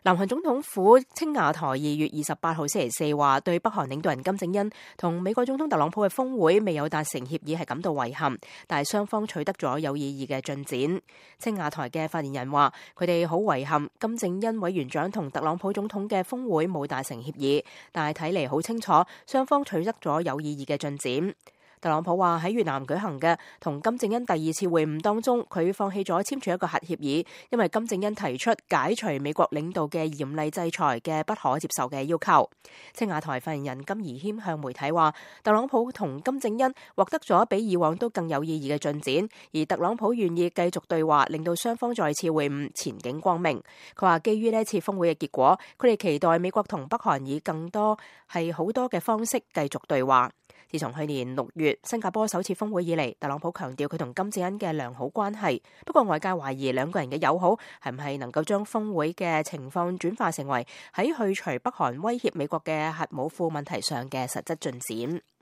南韓總統府青瓦台2月28號星期四話，對北韓領導人金正恩同美國總統特朗普嘅峰會未有達成協議係感到遺憾，但係雙方取得咗有意義嘅進展。青瓦台嘅發言人話，佢哋好遺憾金正恩委員長同特朗普總統嘅峰會冇達成協議，但係睇嚟好清楚雙方取得咗有意義嘅進展。特朗普話喺越南舉行嘅同金正恩第2次會晤當中，佢放棄咗簽署一個核協議，因為金正恩提出解除美國領導嘅嚴厲制裁嘅不可接受嘅要求。青瓦台發言人金怡謙向媒體話，特朗普同金正恩獲得咗比以往都更有意義嘅進展，而特朗普願意繼續對話，令到雙方再次會晤前景光明。佢話基於呢一次峰會嘅結果，佢哋期待美國同北韓以更多係好多嘅方式繼續對話。自從去年6月新加坡首次峰會以嚟，特朗普強調佢同金正恩嘅良好關係。不過外界懷疑兩個人嘅友好係唔係能夠將峰會嘅情況轉化成為喺去除北韓威脅美國嘅核武庫問題上嘅實質進展。